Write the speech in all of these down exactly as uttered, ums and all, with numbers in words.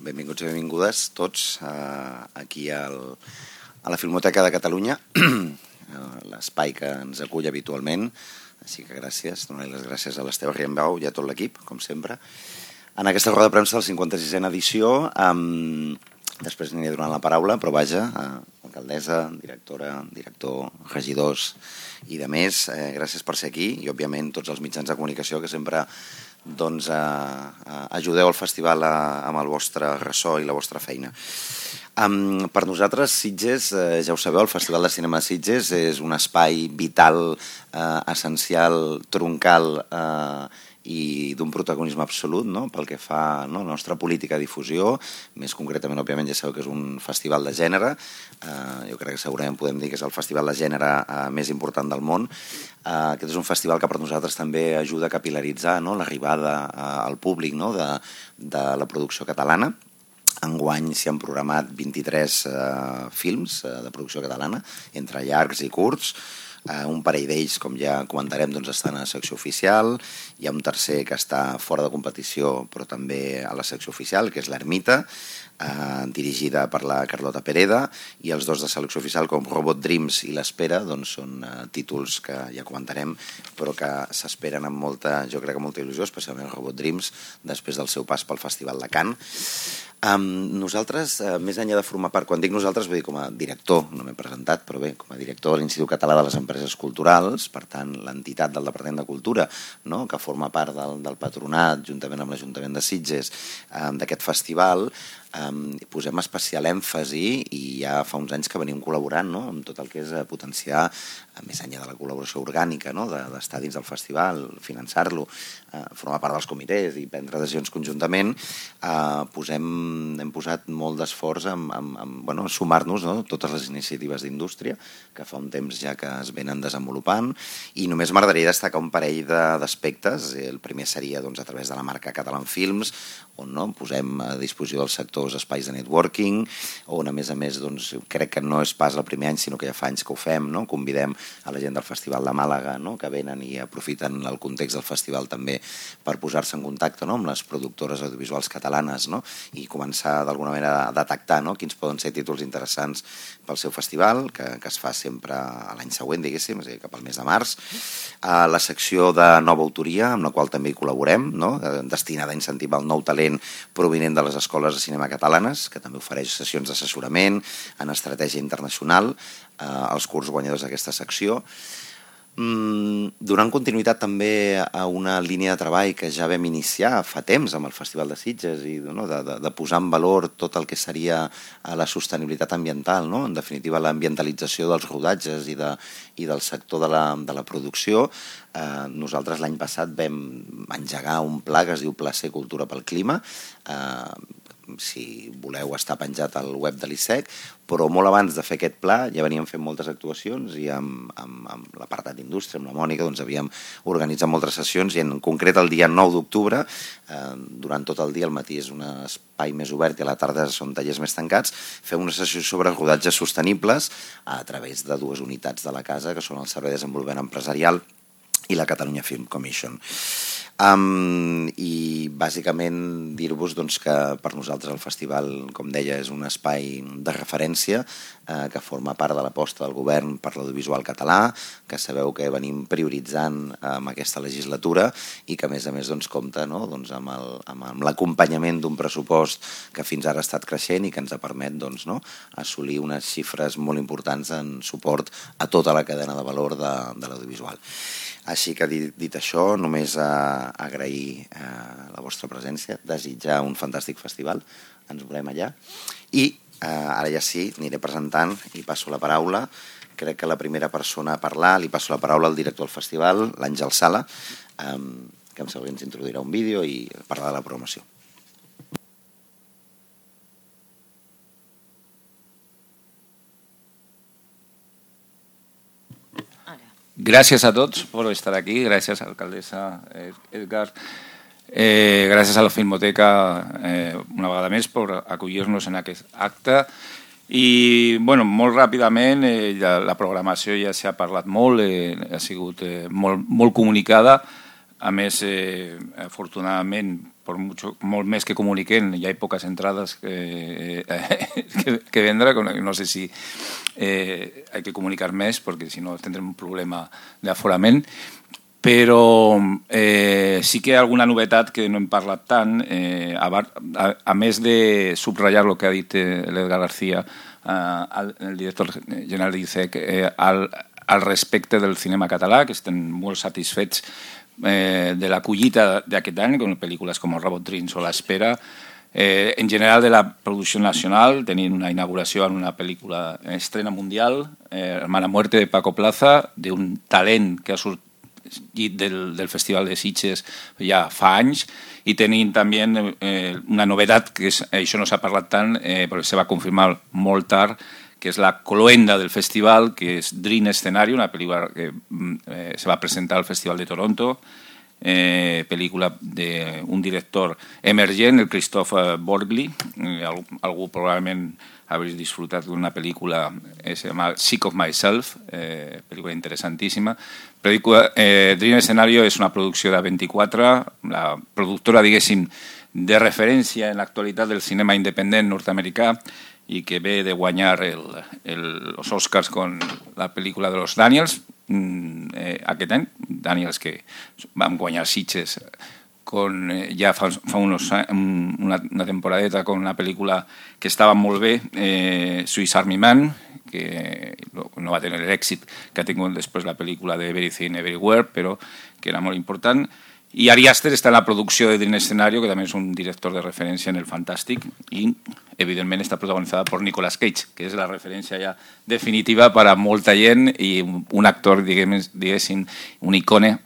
benvinguts i benvingudes tots aquí a la Filmoteca de Catalunya, l'espai que ens acull habitualment. Així que gràcies, donar les gràcies a l'Esteve Riembau i a tot l'equip, com sempre. En aquesta roda de premsa de la cinquanta-sisena edició, després aniré donant la paraula, però vaja, alcaldessa, directora, director, regidors i de més, gràcies per ser aquí i, òbviament, tots els mitjans de comunicació que sempre doncs, ajudeu al festival amb el vostre ressò i la vostra feina. Um, per nosaltres, Sitges, eh, ja ho sabeu, el Festival de Cinema de Sitges és un espai vital, eh, essencial, troncal eh, i d'un protagonisme absolut, no?, pel que fa, no?, a la nostra política de difusió. Més concretament, òbviament, ja sabeu que és un festival de gènere. Eh, jo crec que segurament podem dir que és el festival de gènere eh, més important del món. Uh, aquest és un festival que per nosaltres també ajuda a capil·laritzar, no?, l'arribada uh, al públic, no?, de, de la producció catalana. Enguany s'hi han programat vint-i-tres uh, films uh, de producció catalana, entre llargs i curts. Uh, un parell d'ells, com ja comentarem, doncs estan a la secció oficial. Hi ha un tercer que està fora de competició, però també a la secció oficial, que és l'Ermita, uh, dirigida per la Carlota Pereda, i els dos de selecció oficial, com Robot Dreams i L'Espera, doncs són uh, títols que ja comentarem, però que s'esperen amb molta, jo crec que molta il·lusió, especialment Robot Dreams, després del seu pas pel Festival de Cannes. Um, nosaltres, uh, més enllà de formar part, quan dic nosaltres, vull dir com a director, no m'he presentat, però bé, com a director de l'Institut Català de les Empreses Culturals, per tant, l'entitat del Departament de Cultura, no?, que forma part del, del patronat, juntament amb l'Ajuntament de Sitges, um, d'aquest festival, um, posem especial èmfasi i ja fa uns anys que venim col·laborant, no?, amb tot el que és potenciar, més enllà de la col·laboració orgànica, no?, d'estar dins del festival, finançar-lo, uh, formar part dels comitès i prendre decisions conjuntament, uh, posem hem posat molt d'esforç en, en, en bueno, sumar-nos, no?, totes les iniciatives d'indústria que fa un temps ja que es venen desenvolupant, i només m'agradaria destacar un parell d'aspectes. El primer seria doncs, a través de la marca Catalan Films, on no, posem a disposició dels sectors espais de networking, on a més a més doncs, crec que no és pas el primer any, sinó que ja fa anys que ho fem, no? Convidem a la gent del Festival de Màlaga, no?, que venen i aprofiten el context del festival també per posar-se en contacte, no?, amb les productores audiovisuals catalanes, no?, i començar d'alguna manera a detectar, no?, quins poden ser títols interessants pel seu festival, que, que es fa sempre a l'any següent, diguéssim, és a dir, cap al mes de març. A la secció de nova autoria, amb la qual també hi col·laborem, no?, destinada a incentivar el nou talent provinent de les escoles de cinema catalanes, que també ofereix sessions d'assessorament en estratègia internacional eh, als curs guanyadors d'aquesta secció. Donant continuïtat també a una línia de treball que ja vam iniciar fa temps amb el Festival de Sitges i no, de, de, de posar en valor tot el que seria la sostenibilitat ambiental, no? En definitiva l'ambientalització dels rodatges i, de, i del sector de la, de la producció. Eh, nosaltres l'any passat vam engegar un pla que es diu Placer Cultura pel Clima, eh, si voleu està penjat al web de l'I S E C, però molt abans de fer aquest pla ja veníem fent moltes actuacions i amb, amb, amb l'apartat d'indústria, amb la Mònica, doncs havíem organitzat moltes sessions i en concret el dia nou d'octubre, eh, durant tot el dia, al matí és un espai més obert i a la tarda són tallers més tancats, fem una sessió sobre rodatges sostenibles a través de dues unitats de la casa, que són el Servei de Desenvolupament Empresarial i la Catalunya Film Commission. Um, i bàsicament dir-vos doncs, que per nosaltres el festival, com deia, és un espai de referència eh, que forma part de l'aposta del govern per l'audiovisual català, que sabeu que venim prioritzant amb aquesta legislatura i que a més a més doncs, compta no? doncs, amb, el, amb l'acompanyament d'un pressupost que fins ara ha estat creixent i que ens ha permet doncs, no? assolir unes xifres molt importants en suport a tota la cadena de valor de, de l'audiovisual. Així que dit, dit això, només a, a agrair eh, la vostra presència, desitjar un fantàstic festival, ens veurem allà. I eh, ara ja sí, aniré presentant i passo la paraula. Crec que la primera persona a parlar, li passo la paraula al director del festival, l'Àngel Sala, eh, que em sembla que ens introduirà un vídeo i parlar de la programació. Gràcies a tots per estar aquí, gràcies a l'alcaldessa Edgar, eh, gràcies a la Filmoteca eh, una vegada més per acollir-nos en aquest acte. I bueno, molt ràpidament, eh, la, la programació ja s'ha parlat molt, eh, ha sigut eh, molt, molt comunicada. a més, eh, afortunadament, por mucho, molt més que comuniquen, hi ha poques entrades que, eh, que, que vendre, no sé si eh, hay que comunicar més, perquè si no tindrem un problema d'aforament, però eh, sí que hi ha alguna novetat que no hem parlat tant, eh, a, a, a més de subratllar el que ha dit l'Edgar García, eh, el director general dice que eh, al, al respecte del cinema català, que estem molt satisfets eh, de la collita d'aquest any, con pel·lícules com Robot Dreams o L'Espera, eh, en general de la producció nacional, tenint una inauguració en una pel·lícula estrena mundial, eh, Hermana Muerte de Paco Plaza, d'un talent que ha sortit del, del Festival de Sitges ja fa anys, i tenint també eh, una novetat, que és, això no s'ha parlat tant, eh, però se va confirmar molt tard, que és la cloenda del festival, que és Dream Scenario, una pel·lícula que eh, se va presentar al Festival de Toronto, eh, pel·lícula d'un director emergent, el Christophe Borgli, eh, algú, algú probablement habréis disfrutat d'una pel·lícula que se llama Sick of Myself, eh, pel·lícula interessantíssima. Pel·lícula, eh, Dream Scenario és una producció de vint-i-quatre, la productora, diguéssim, de referència en l'actualitat del cinema independent nord-americà, i que ve de guanyar el, el, els Oscars con la pel·lícula de los Daniels eh, aquest any, Daniels que van guanyar Sitges con, eh, ja fa, fa unos, una, una temporadeta con una pel·lícula que estava molt bé, eh, Swiss Army Man, que no va tenir l'èxit que ha tingut després la pel·lícula de Everything Everywhere, però que era molt important. I Ari Aster està en la producció de Dream Scenario, que també és un director de referència en el fantàstic, i evidentment està protagonitzada per Nicolas Cage, que és la referència ja definitiva per a molta gent i un actor, diguéssim, un icone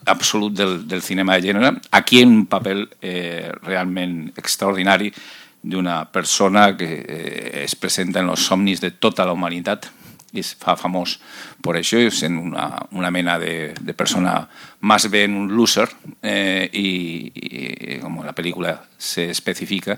absolut del, del cinema de gènere, aquí en un paper eh, realment extraordinari d'una persona que eh, es presenta en els somnis de tota la humanitat, i es fa famós per això, sent una, una mena de, de persona más ben un loser, eh, i, i com la pel·lícula se especifica,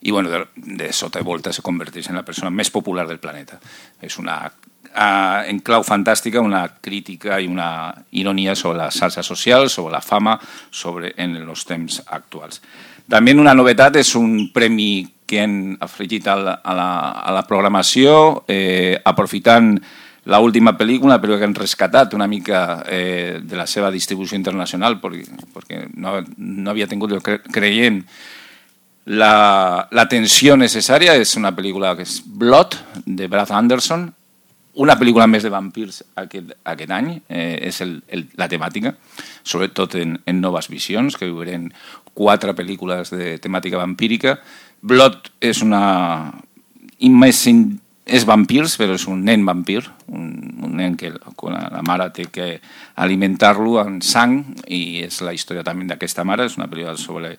i bueno, de, de sota i volta se converteix en la persona més popular del planeta. És una, uh, en clau fantàstica, una crítica i una ironia sobre la xarxa social, sobre la fama, sobre en els temps actuals. També una novetat és un premi que han afegit a la, a la, a la programació, eh, aprofitant l'última pel·lícula, però que han rescatat una mica eh, de la seva distribució internacional, perquè, perquè no, no havia tingut, cre creient, l'atenció la, necessària. És una pel·lícula que és Blood, de Brad Anderson, una pel·lícula més de vampirs aquest, aquest any, eh, és el, el, la temàtica, sobretot en, en noves visions, que veurem quatre pel·lícules de temàtica vampírica. Blood és una... és vampirs, però és un nen vampir, un, un nen que la mare té que alimentar-lo amb sang, i és la història també d'aquesta mare. És una pel·lícula sobre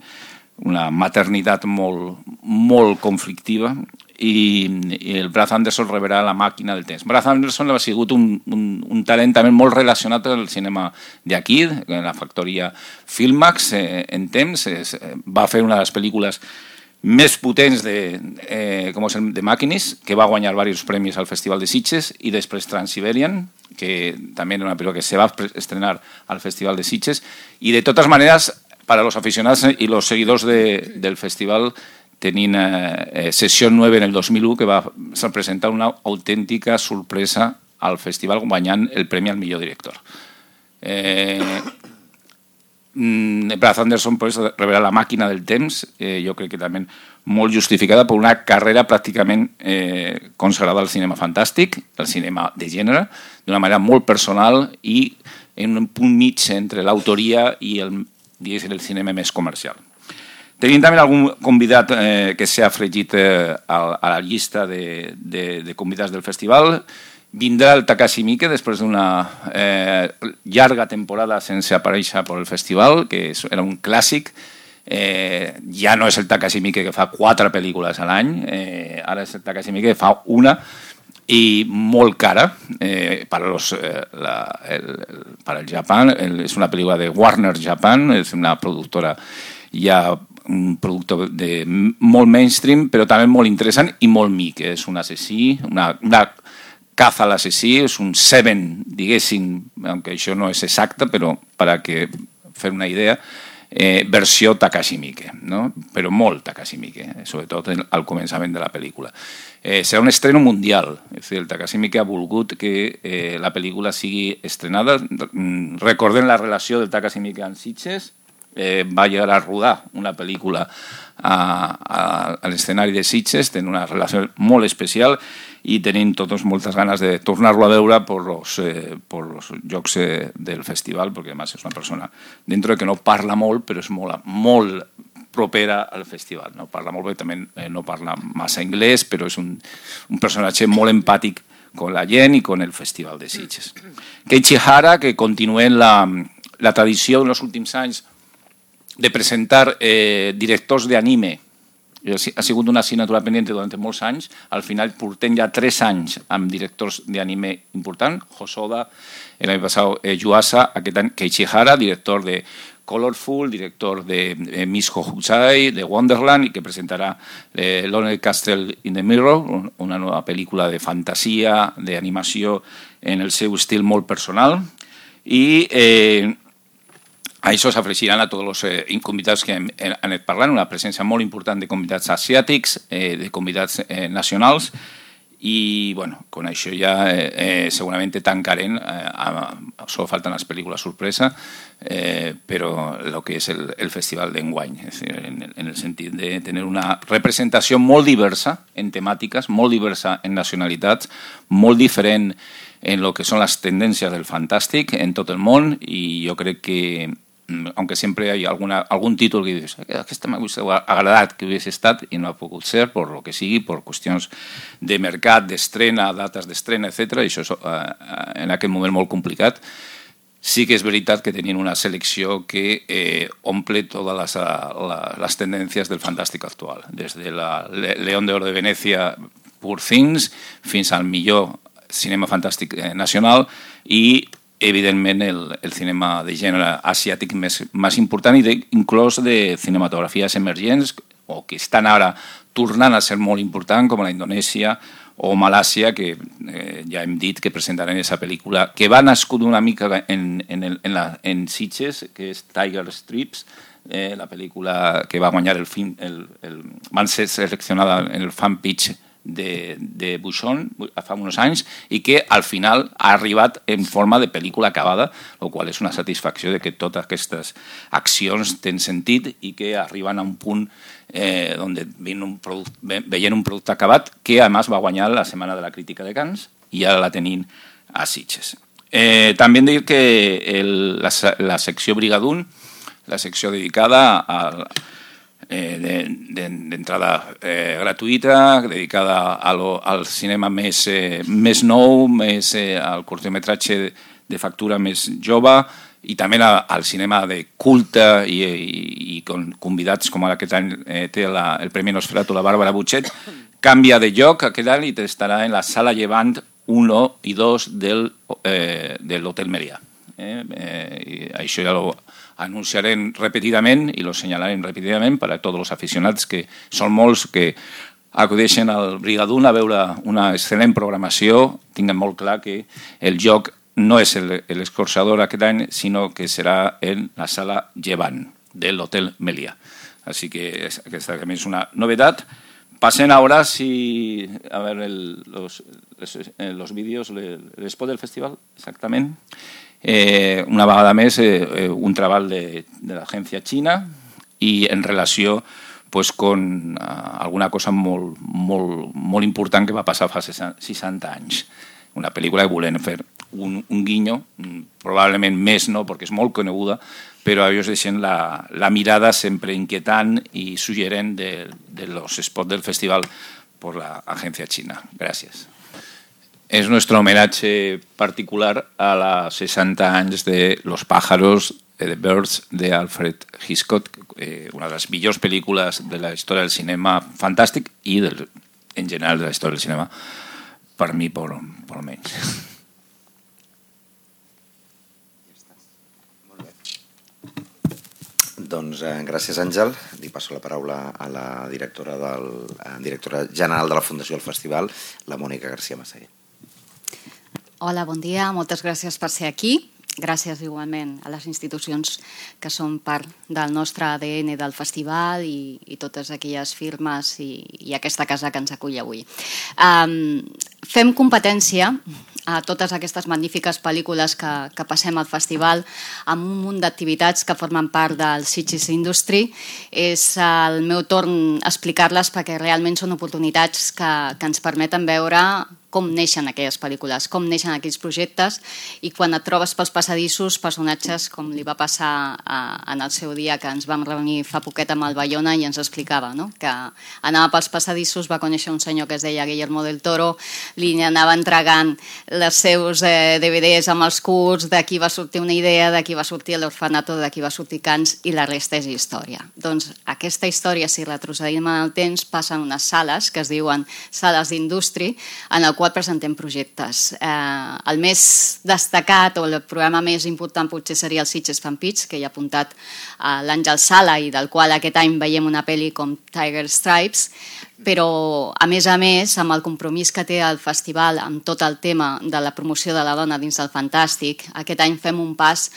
una maternitat molt, molt conflictiva, i, i el Brad Anderson rebrà La màquina del temps. Brad Anderson ha sigut un, un, un talent també molt relacionat amb el cinema d'aquí, en la factoria Filmax, eh, en temps. Es, eh, va fer una de les pel·lícules més potents de, eh, com és el de Màquines, que va guanyar diversos premis al Festival de Sitges, i després Trans-Siberian, que també era una pel·lícula que se va estrenar al Festival de Sitges. I de totes maneres, para los aficionados y los seguidors de, del festival, tenint eh, Sessió nueve en el dos mil u, que va presentar una autèntica sorpresa al festival guanyant el premi al millor director. Eh, Brad Anderson pues, rebrà La màquina del temps, eh, jo crec que també molt justificada per una carrera pràcticament eh, consagrada al cinema fantàstic, al cinema de gènere, d'una manera molt personal i en un punt mig entre l'autoria i el, el cinema més comercial. Tenim també algun convidat eh, que s'ha afegit eh, a, a la llista de, de, de convidats del festival. Vindrà el Takashi Miike després d'una eh, llarga temporada sense aparèixer per el festival, que era un clàssic. Eh, ja no és el Takashi Miike que fa quatre pel·lícules a l'any, eh, ara és el Takashi Miike que fa una i molt cara eh, per, los, eh, la, el, el, per el Japan. El, és una pel·lícula de Warner Japan, és una productora ja un producte de molt mainstream, però també molt interessant i molt mic. És un assassí, una, una caza a l'assassí, és un Seven, diguéssim, aunque això no és exacte, però per a que fer una idea, eh, versió Takashi Miike, no? Però molt Takashi Miike, sobretot al començament de la pel·lícula. Eh, serà un estreno mundial, és a dir, el Takashi Miike ha volgut que eh, la pel·lícula sigui estrenada. Recordem la relació del Takashi Miike amb Sitges, eh, va llegar a rodar una pel·lícula a, a, a l'escenari de Sitges, tenen una relació molt especial i tenim totes moltes ganes de tornar-lo a veure per los, eh, per los jocs eh, del festival, perquè además és una persona, dentro de que no parla molt, però és molt, molt propera al festival. No parla molt bé, també eh, no parla massa anglès, però és un, un personatge molt empàtic con la gent i con el festival de Sitges. Keiichi Hara, que continua la, la tradició en els últims anys de presentar eh, directors d'anime. Ha sigut una assignatura pendiente durant molts anys. Al final portem ja tres anys amb directors d'anime important. Hosoda, l'any passat eh, Yuasa, aquest any Keiichi Hara, director de Colorful, director de eh, Miss Hokusai, de Wonderland, i que presentarà eh, Lonely Castle in the Mirror, una nova pel·lícula de fantasia, d'animació en el seu estil molt personal. I eh, a això s'afegiran a tots els eh, convidats que hem anat parlant, una presència molt important de convidats asiàtics, eh, de convidats eh, nacionals, i bueno, con això ja eh, eh, segurament tancarem, eh, solo falten les pel·lícules sorpresa, eh, però el que és el, el festival d'enguany, és dir, en, en el sentit de tenir una representació molt diversa en temàtiques, molt diversa en nacionalitats, molt diferent en el que són les tendències del fantàstic en tot el món, i jo crec que aunque siempre hay alguna, algún título que dices, aquesta m'ha agradat que hubiés estat i no ha pogut ser, per lo que sigui, per qüestions de mercat, d'estrena, dates d'estrena, etcètera. I això és eh, en aquest moment molt complicat. Sí que és veritat que tenien una selecció que eh, omple totes les, la, les tendències del fantàstic actual, des de la León d'Oro de Venècia, Poor Things, fins al millor cinema fantàstic nacional i evidentment el, el cinema de gènere asiàtic més, més important i de, inclús de cinematografies emergents o que estan ara tornant a ser molt important, com la Indonèsia o Malàsia, que eh, ja hem dit que presentaran aquesta pel·lícula, que va nascut una mica en, en, el, en, la, en Sitges, que és Tiger Strips, eh, la pel·lícula que va guanyar el film, el, el, van ser seleccionada en el fan pitch de, de Buixón fa uns anys i que al final ha arribat en forma de pel·lícula acabada, el qual és una satisfacció de que totes aquestes accions tenen sentit i que arriben a un punt eh, on veient un, veient un producte acabat que a més va guanyar la Setmana de la Crítica de Cannes i ara la tenim a Sitges. Eh, també hem dit que el, la, la secció Brigadún, la secció dedicada al Eh, d'entrada de, de eh, gratuïta, dedicada a lo, al cinema més, eh, més nou, més eh, al curtmetratge de, de factura més jove i també a, al cinema de culte i, i, i con convidats com ara aquest any eh, té la, el Premi Nosferatu, la Bàrbara Butxet, canvia de lloc aquest any i estarà en la Sala Llevant uno i dos del, eh, de l'Hotel Melià. Eh, eh, i això ja ho anunciarem repetidament i lo senyalarem repetidament per a tots els aficionats, que són molts que acudeixen al Brigadún a veure una excel·lent programació. Tinguem molt clar que el joc no és l'escorxador aquest any, sinó que serà en la Sala Llevant de l'Hotel Melià. Així que aquesta també és una novetat. Pasen ahora si, a ver el, los, los, los vídeos, el, el spot del festival, exactament. Eh, una vegada més, eh, un treball de, de l'agència xina i en relació pues, con uh, alguna cosa molt, molt, molt important que va passar fa seixanta anys. Una pel·lícula que volem fer un, un guinyo, probablement més no, perquè és molt coneguda, però ells deixen la, la mirada sempre inquietant i suggerent de, de los spots del festival per l'agència xina. Gràcies. Es nuestro homenaje particular a los sesenta años de Los pájaros, The Birds, de Alfred Hitchcock, eh, una de las millors pel·lícules de la història del cinema fantàstic i del, en general de la història del cinema, per mi, per, per almenys. Doncs eh, gràcies, Àngel. Li passo la paraula a la directora, del, eh, directora general de la Fundació del Festival, la Mònica García Massaguer. Hola, bon dia. Moltes gràcies per ser aquí. gràcies igualment a les institucions que són part del nostre A D N del festival i, i totes aquelles firmes i, i aquesta casa que ens acull avui. Um, fem competència a totes aquestes magnífiques pel·lícules que, que passem al festival amb un munt d'activitats que formen part del Sitges Industry. És el meu torn explicar-les perquè realment són oportunitats que, que ens permeten veure com neixen aquelles pel·lícules, com neixen aquells projectes i quan et trobes pels passadissos personatges com li va passar a, en el seu dia que ens vam reunir fa poquet amb el Bayona i ens explicava, no? Que anava pels passadissos, va conèixer un senyor que es deia Guillermo del Toro, li anava entregant els seus eh, D V Ds amb els curts, d'aquí va sortir una idea, d'aquí va sortir l'Orfanato, d'aquí va sortir Cans i la resta és història. Doncs aquesta història, si retrocedim en el temps, passa en unes sales que es diuen sales d'industri, en el qual presentem projectes. Eh, el més destacat o el programa més important potser seria el Sitges Fan Pitch, que hi ha apuntat a l'Àngel Sala i del qual aquest any veiem una pel·li com Tiger Stripes, però a més a més amb el compromís que té el festival amb tot el tema de la promoció de la dona dins del fantàstic, aquest any fem un pas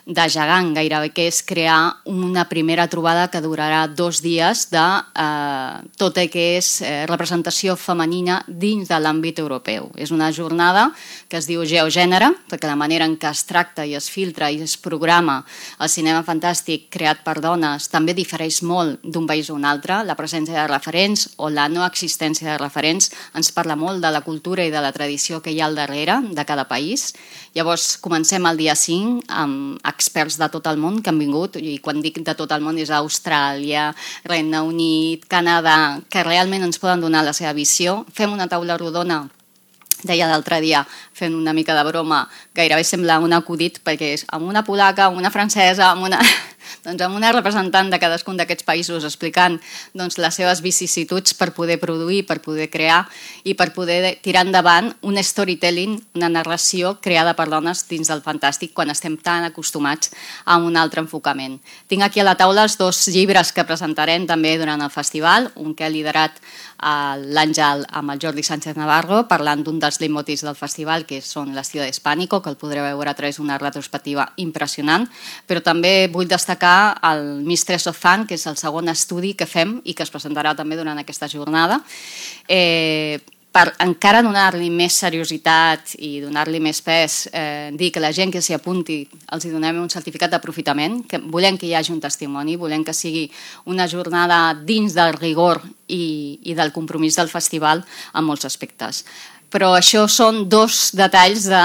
de gegant gairebé, que és crear una primera trobada que durarà dos dies de eh, tot el que és eh, representació femenina dins de l'àmbit europeu. És una jornada que es diu Geogènere, perquè la manera en què es tracta i es filtra i es programa el cinema fantàstic creat per dones també difereix molt d'un país a un altre. La presència de referents o la no existència de referents ens parla molt de la cultura i de la tradició que hi ha al darrere de cada país. Llavors comencem el dia cinc amb experts de tot el món que han vingut, i quan dic de tot el món és Austràlia, Regne Unit, Canadà, que realment ens poden donar la seva visió. Fem una taula rodona, deia l'altre dia, fent una mica de broma, gairebé sembla un acudit, perquè és amb una polaca, amb una francesa, amb una... doncs amb una representant de cadascun d'aquests països explicant doncs, les seves vicissituds per poder produir, per poder crear i per poder tirar endavant un storytelling, una narració creada per dones dins del fantàstic quan estem tan acostumats a un altre enfocament. Tinc aquí a la taula els dos llibres que presentarem també durant el festival, un que ha liderat l'Àngel amb el Jordi Sánchez Navarro, parlant d'un dels leitmotivs del festival, que són l'estil hispànico, que el podreu veure a través d'una retrospectiva impressionant, però també vull destacar el Mistress of Fun, que és el segon estudi que fem i que es presentarà també durant aquesta jornada, eh, per encara donar-li més seriositat i donar-li més pes, eh, dir que la gent que s'hi apunti els hi donem un certificat d'aprofitament, que volem que hi hagi un testimoni, volem que sigui una jornada dins del rigor i, i del compromís del festival en molts aspectes. Però això són dos detalls de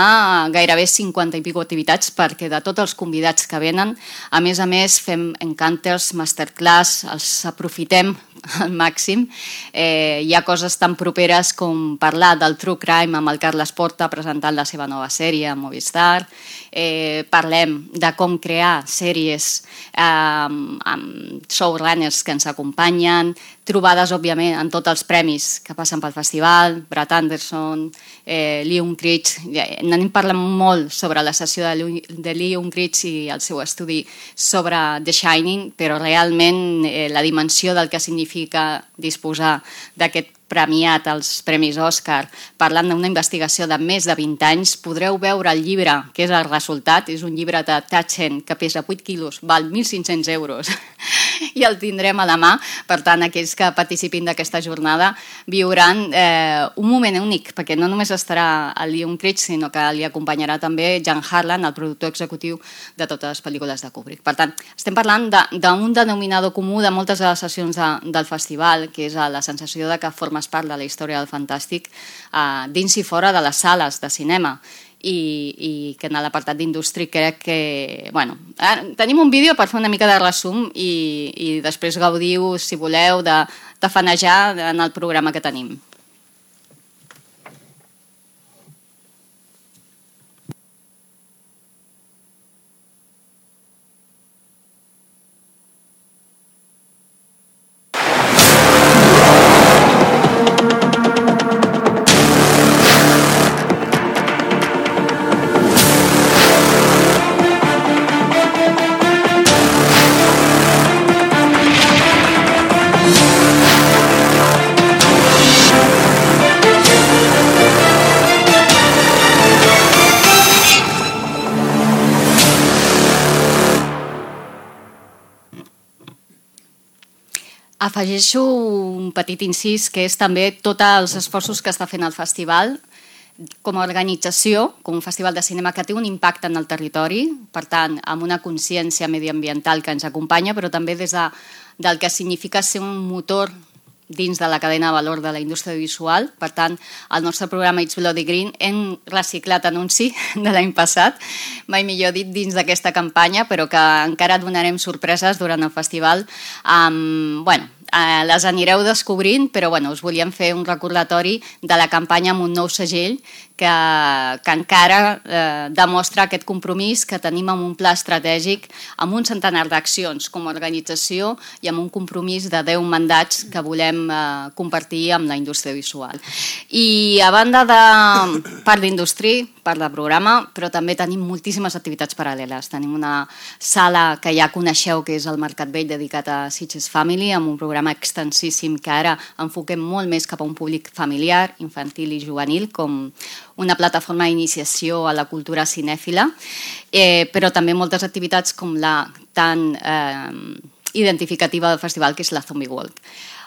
gairebé cinquanta i pico activitats, perquè de tots els convidats que venen, a més a més fem encounters, masterclass, els aprofitem al màxim. Eh, hi ha coses tan properes com parlar del True Crime amb el Carles Porta presentant la seva nova sèrie a Movistar. Eh, parlem de com crear sèries eh, amb showrunners que ens acompanyen, trobades, òbviament, en tots els premis que passen pel festival, Brad Anderson, eh, Lee Unkrich. N'hem parlat molt sobre la sessió de, de Lee Unkrich i el seu estudi sobre The Shining, però realment eh, la dimensió del que significa disposar d'aquest premiat als Premis Òscar, parlant d'una investigació de més de vint anys, podreu veure el llibre, que és el resultat, és un llibre de Taschen que pesa vuit quilos, val mil cinc-cents euros, i el tindrem a la mà. Per tant, aquells que participin d'aquesta jornada viuran eh, un moment únic, perquè no només estarà el Lee Unkrich, sinó que li acompanyarà també Jan Harlan, el productor executiu de totes les pel·lícules de Kubrick. Per tant, estem parlant d'un de, denominador comú de moltes de les sessions de, del festival, que és la sensació de que formes part de la història del fantàstic eh, dins i fora de les sales de cinema. I, i que en l'apartat d'indústria crec que... Bueno, tenim un vídeo per fer una mica de resum i, i després gaudiu, si voleu, de, de fanejar en el programa que tenim. Afegeixo un petit incís, que és també tots els esforços que està fent el festival com a organització, com un festival de cinema que té un impacte en el territori, per tant, amb una consciència mediambiental que ens acompanya, però també des de, del que significa ser un motor dins de la cadena de valor de la indústria visual. Per tant, al nostre programa It's Bloody Green hem reciclat anunci de l'any passat, mai millor dit, dins d'aquesta campanya, però que encara donarem sorpreses durant el festival. Um, bueno, eh, les anireu descobrint, però bueno, us volíem fer un recordatori de la campanya amb un nou segell que, que encara eh, demostra aquest compromís que tenim amb un pla estratègic, amb un centenar d'accions com a organització i amb un compromís de deu mandats que volem eh, compartir amb la indústria visual. I a banda de part d'indústria, part de programa, però també tenim moltíssimes activitats paral·leles. Tenim una sala que ja coneixeu, que és el Mercat Vell, dedicat a Sitges Family, amb un programa extensíssim que ara enfoquem molt més cap a un públic familiar, infantil i juvenil, com una plataforma d'iniciació a la cultura cinèfila, eh, però també moltes activitats com la tan eh, identificativa del festival, que és la Zombie Walk.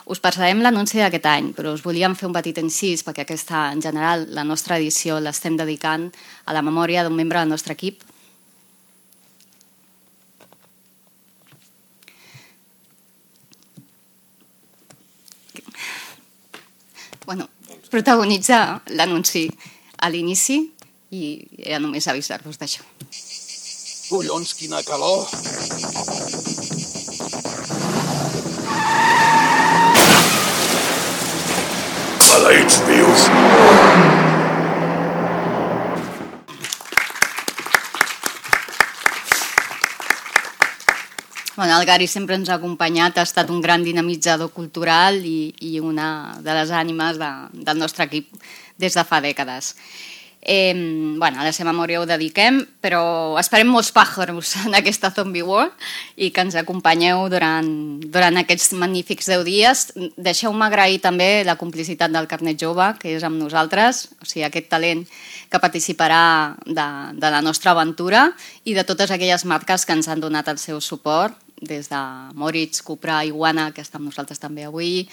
Us passarem l'anunci d'aquest any, però us volíem fer un petit incís, perquè aquesta, en general, la nostra edició l'estem dedicant a la memòria d'un membre del nostre equip. Bueno, protagonitzar l'anunci a l'inici i era només avisar-vos d'això. Collons, quina calor! Maleïts vius! Bueno, el Gary sempre ens ha acompanyat, ha estat un gran dinamitzador cultural i, i una de les ànimes de, del nostre equip des de fa dècades. Eh, bueno, a la seva memòria ho dediquem, però esperem molts pàjaros en aquesta Zombie World i que ens acompanyeu durant, durant aquests magnífics deu dies. Deixeu-me agrair també la complicitat del Carnet Jove, que és amb nosaltres, o sigui, aquest talent que participarà de, de la nostra aventura i de totes aquelles marques que ens han donat el seu suport, des de Moritz, Cupra, Iguana, que està amb nosaltres també avui,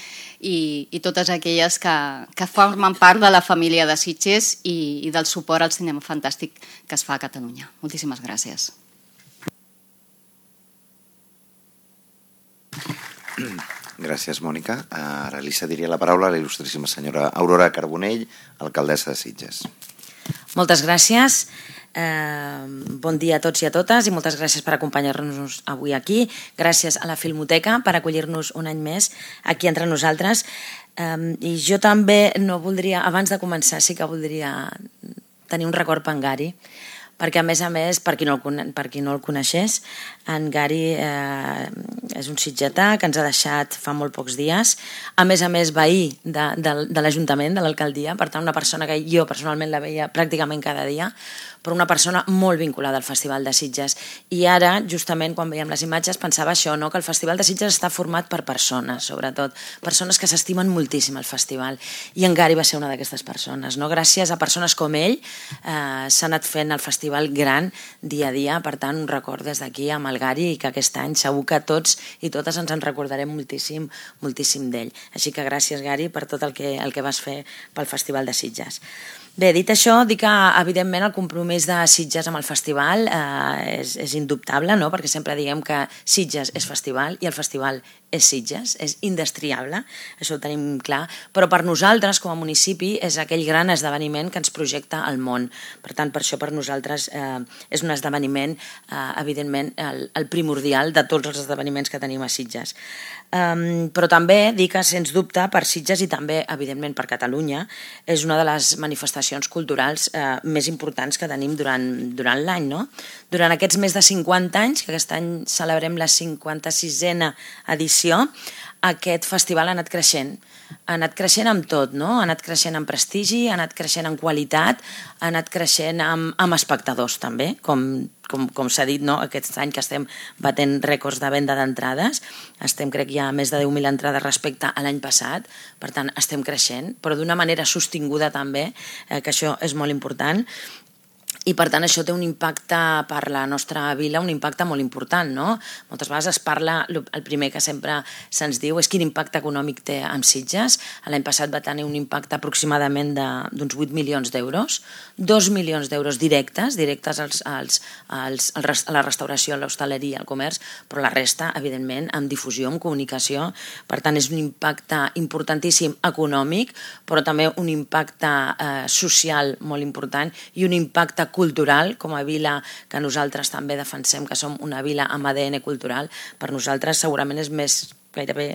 i, i totes aquelles que, que formen part de la família de Sitges i, i del suport al cinema fantàstic que es fa a Catalunya. Moltíssimes gràcies. Gràcies, Mònica. Ara li cediria la paraula a la il·lustríssima senyora Aurora Carbonell, alcaldessa de Sitges. Moltes gràcies. Eh, bon dia a tots i a totes i moltes gràcies per acompanyar-nos avui aquí. Gràcies a la Filmoteca per acollir-nos un any més aquí entre nosaltres. Eh, I jo també no voldria, abans de començar, sí que voldria tenir un record per en Gary, perquè a més a més, per qui no el, per qui no el coneixés, en Gary eh, és un sitgetà que ens ha deixat fa molt pocs dies, a més a més veí de, de, de l'Ajuntament, de l'alcaldia, per tant una persona que jo personalment la veia pràcticament cada dia, però una persona molt vinculada al Festival de Sitges. I ara, justament, quan veiem les imatges, pensava això, no? Que el Festival de Sitges està format per persones, sobretot, persones que s'estimen moltíssim el festival. I en Gary va ser una d'aquestes persones, no? Gràcies a persones com ell eh, s'ha anat fent el festival gran dia a dia, per tant, un record des d'aquí amb el Gary i que aquest any segur que tots i totes ens en recordarem moltíssim, moltíssim d'ell. Així que gràcies, Gary, per tot el que, el que vas fer pel Festival de Sitges. Bé, dit això, dic que evidentment el compromís de Sitges amb el festival eh, és, és indubtable, no? Perquè sempre diem que Sitges és festival i el festival és Sitges, és indestriable, això ho tenim clar, però per nosaltres com a municipi és aquell gran esdeveniment que ens projecta al món. Per tant, per això per nosaltres eh, és un esdeveniment, eh, evidentment, el, el primordial de tots els esdeveniments que tenim a Sitges. Um, però també dic que, sens dubte, per Sitges i també, evidentment, per Catalunya, és una de les manifestacions culturals eh, més importants que tenim durant, durant l'any, no? Durant aquests més de cinquanta anys, que aquest any celebrem la cinquanta-sisena edició, aquest festival ha anat creixent. Ha anat creixent amb tot, no? Ha anat creixent en prestigi, ha anat creixent en qualitat, ha anat creixent amb, amb espectadors també, com, com, com s'ha dit, no? Aquest any que estem batent rècords de venda d'entrades, estem crec ja a més de deu mil entrades respecte a l'any passat, per tant estem creixent, però d'una manera sostinguda també, eh, que això és molt important. I per tant això té un impacte per la nostra vila, un impacte molt important, no? Moltes vegades es parla, el primer que sempre se'ns diu és quin impacte econòmic té amb Sitges. L'any passat va tenir un impacte aproximadament d'uns vuit milions d'euros, dos milions d'euros directes, directes als, als, als, als, a la restauració, a l'hostaleria, al comerç, però la resta, evidentment, amb difusió, amb comunicació. Per tant, és un impacte importantíssim econòmic, però també un impacte eh, social molt important i un impacte cultural, com a vila que nosaltres també defensem que som una vila amb A D N cultural. Per nosaltres segurament és més, gairebé,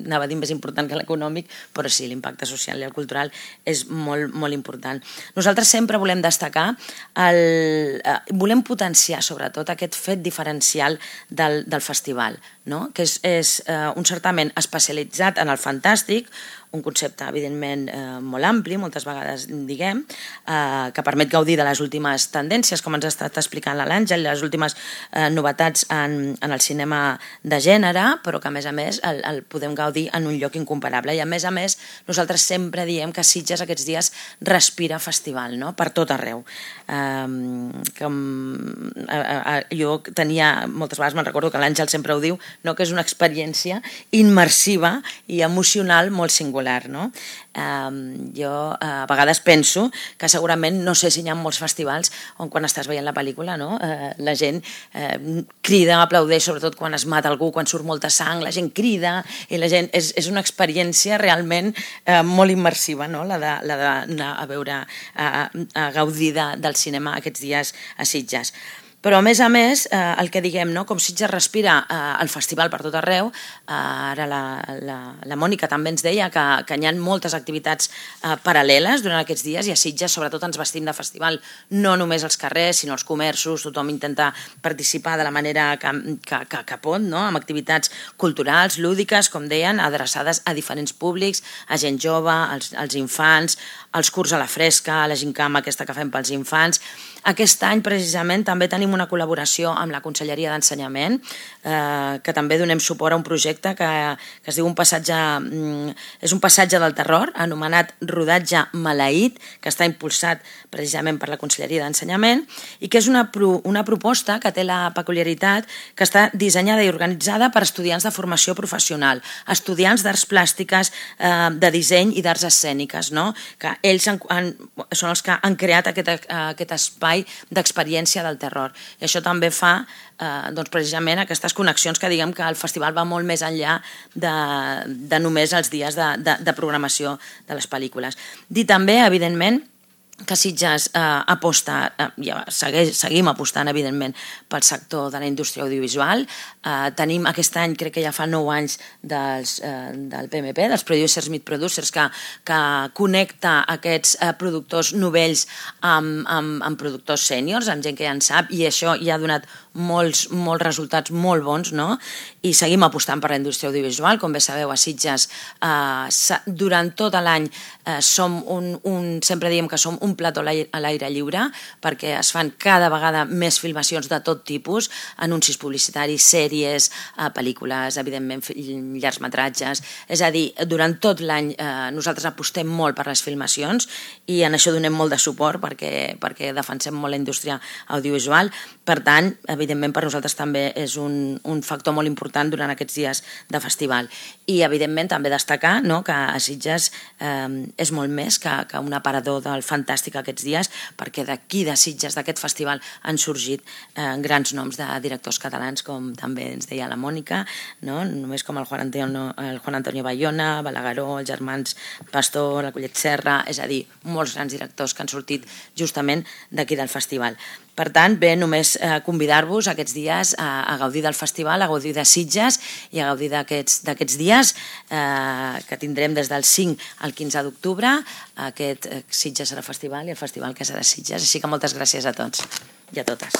anava a dir més important que l'econòmic, però sí, l'impacte social i el cultural és molt, molt important. Nosaltres sempre volem destacar, el, eh, volem potenciar sobretot aquest fet diferencial del, del festival, no? Que és, és eh, un certament especialitzat en el fantàstic, un concepte, evidentment, eh, molt ampli, moltes vegades diguem, eh, que permet gaudir de les últimes tendències, com ens ha estat explicant l'Àngel, les últimes eh, novetats en, en el cinema de gènere, però que, a més a més, el, el podem gaudir en un lloc incomparable. I, a més a més, nosaltres sempre diem que Sitges aquests dies respira festival, no? Per tot arreu. Eh, com, eh, eh, jo tenia, moltes vegades me'n recordo que l'Àngel sempre ho diu, no? Que és una experiència immersiva i emocional molt singular. No? Um, jo uh, a vegades penso que segurament no sé si hi ha molts festivals on quan estàs veient la pel·lícula, no? uh, la gent uh, crida, aplaudeix, sobretot quan es mata algú, quan surt molta sang, la gent crida i la gent, és, és una experiència realment uh, molt immersiva, no? La de, la d'anar a veure, a, a gaudir de, del cinema aquests dies a Sitges. Però, a més a més, eh, el que diguem, no? Com Sitges respira eh, el festival per tot arreu, eh, ara la, la, la Mònica també ens deia que, que hi ha moltes activitats eh, paral·leles durant aquests dies i a Sitges sobretot ens vestim de festival no només als carrers, sinó als comerços, tothom intenta participar de la manera que, que, que, que pot, no? Amb activitats culturals, lúdiques, com deien, adreçades a diferents públics, a gent jove, als, als infants, als curs a la fresca, a la gincama aquesta que fem pels infants. Aquest any, precisament, també tenim una col·laboració amb la Conselleria d'Ensenyament, eh, que també donem suport a un projecte que, que es diu un passatge, mm, és un passatge del terror, anomenat Rodatge Maleït, que està impulsat precisament per la Conselleria d'Ensenyament, i que és una, pro, una proposta que té la peculiaritat que està dissenyada i organitzada per estudiants de formació professional, estudiants d'arts plàstiques, eh, de disseny i d'arts escèniques, no? Que ells han, han, són els que han creat aquest, aquest espai d'experiència del terror. I això també fa eh, doncs precisament aquestes connexions que diguem que el festival va molt més enllà de, de només els dies de, de, de programació de les pel·lícules. Dir també, evidentment, que Sitges eh, aposta, eh, ja segueix, seguim apostant, evidentment, pel sector de la indústria audiovisual. Eh, tenim aquest any, crec que ja fa nou anys, dels, eh, del P M P, dels Producers Meet Producers, que, que connecta aquests eh, productors novells amb, amb, amb productors sèniors, amb gent que ja en sap, i això ja ha donat molts, molts resultats molt bons, no? I seguim apostant per la indústria audiovisual. Com bé sabeu, a Sitges, eh, durant tot l'any eh, som un, un, sempre diem que som un plató a l'aire lliure, perquè es fan cada vegada més filmacions de tot tipus, anuncis publicitaris, sèries, eh, pel·lícules, evidentment, llargmetratges. És a dir, durant tot l'any eh, nosaltres apostem molt per les filmacions i en això donem molt de suport perquè, perquè defensem molt la indústria audiovisual. Per tant, evidentment, per nosaltres també és un, un factor molt important durant aquests dies de festival. I, evidentment, també destacar, no, que a Sitges eh, és molt més que, que un aparador del fantàstic aquests dies, perquè d'aquí de Sitges, d'aquest festival, han sorgit eh, grans noms de directors catalans, com també ens deia la Mònica, no? Només com el Juan Antonio, el Juan Antonio Bayona, Balagueró, els germans Pastor, la Collet Serra, és a dir, molts grans directors que han sortit justament d'aquí del festival. Per tant, bé, només eh, convidar-vos aquests dies a, a gaudir del festival, a gaudir de Sitges i a gaudir d'aquests dies eh, que tindrem des del cinc al quinze d'octubre, aquest eh, Sitges serà festival i el festival que serà Sitges. Així que moltes gràcies a tots i a totes.